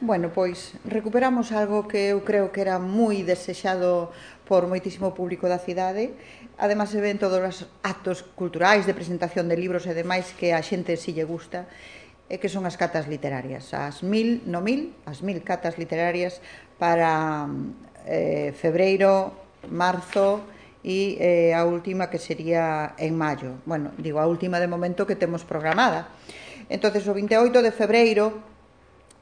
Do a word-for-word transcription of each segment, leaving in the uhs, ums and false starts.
Bueno, pois recuperamos algo que eu creo que era moi desexado por moitísimo público da cidade. Ademais se ven todos os actos culturais de presentación de libros e demais que a xente si lle gusta, e que son as catas literarias, as mil, no mil, as mil catas literarias para eh, febreiro, marzo e eh, a última que sería en maio. Bueno, digo a última de momento que temos programada. Entonces o vinte e oito de febreiro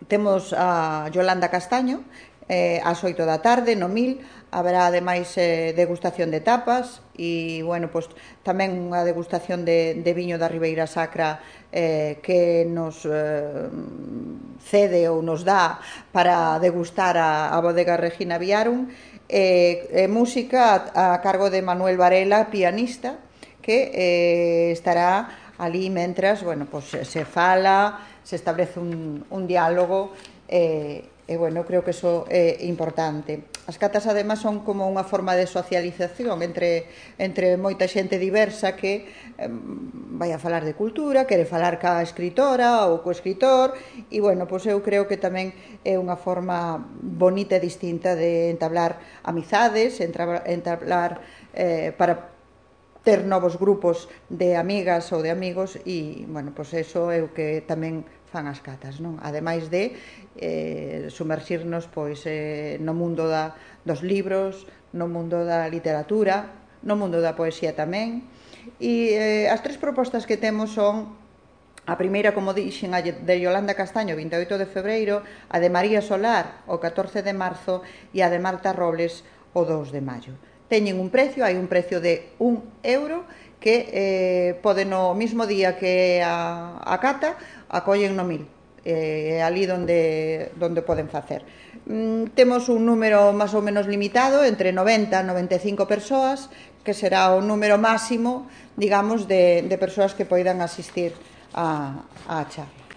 temos a Yolanda Castaño, eh, ás oito da tarde, no mil, haberá ademais eh, degustación de tapas e, bueno, pois, tamén unha degustación de, de viño da Ribeira Sacra eh, que nos eh, cede ou nos dá para degustar a, a bodega Regina Viarum, e eh, eh, música a, a cargo de Manuel Varela, pianista, que eh, estará ali mentras, bueno, pois, se fala, se establece un, un diálogo e, e, bueno, creo que eso é importante. As catas, además, son como unha forma de socialización entre, entre moita xente diversa que eh, vai a falar de cultura, quere falar ca escritora ou co escritor e, bueno, pois eu creo que tamén é unha forma bonita e distinta de entablar amizades, entablar eh, para ter novos grupos de amigas ou de amigos e, bueno, pois eso é o que tamén fan as catas, non? Ademais de eh, sumerxirnos pois eh, no mundo da, dos libros, no mundo da literatura, no mundo da poesía tamén. E eh, as tres propostas que temos son a primeira, como dixen, a de Yolanda Castaño, vinte e oito de febreiro, a de María Solar, o catorce de marzo, e a de Marta Robles, o dous de maio. Teñen un precio, hai un precio de un euro que eh, pode no mismo día que a, a cata acollen no mil, é eh, ali donde, donde poden facer. Mm, temos un número máis ou menos limitado, entre noventa e noventa e cinco persoas, que será o número máximo, digamos, de, de persoas que poidan asistir a, a charla.